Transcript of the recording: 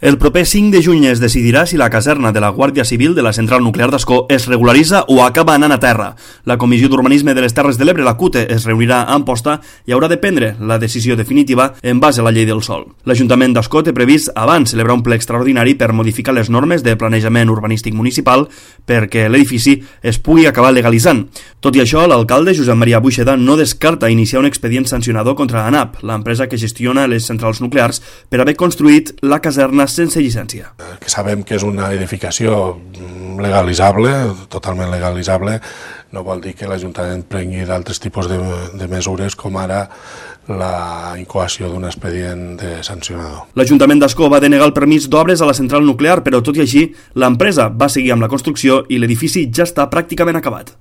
El proper 5 de juny es decidirà si la caserna de la Guàrdia Civil de la central nuclear d'Ascó es regularitza o acaba anant a terra. La Comissió d'Urbanisme de les Terres de l'Ebre, la CUTE, es reunirà a Amposta i haurà de prendre la decisió definitiva en base a la llei del sòl. L'Ajuntament d'Ascó té previst abans celebrar un ple extraordinari per modificar les normes de planejament urbanístic municipal perquè l'edifici es pugui acabar legalitzant. Tot i això, l'alcalde Josep Maria Buixeda no descarta iniciar un expedient sancionador contra ANAP, l'empresa que gestiona les centrals nuclears, per haver construït la caserna sense llicència. Que sabem que és una edificació legalitzable, totalment legalitzable, no vol dir que l'Ajuntament prengui d'altres tipus de mesures com ara la incoació d'un expedient de sancionador. L'Ajuntament d'Ascó va denegar el permís d'obres a la central nuclear, però tot i així, l'empresa va seguir amb la construcció i l'edifici ja està pràcticament acabat.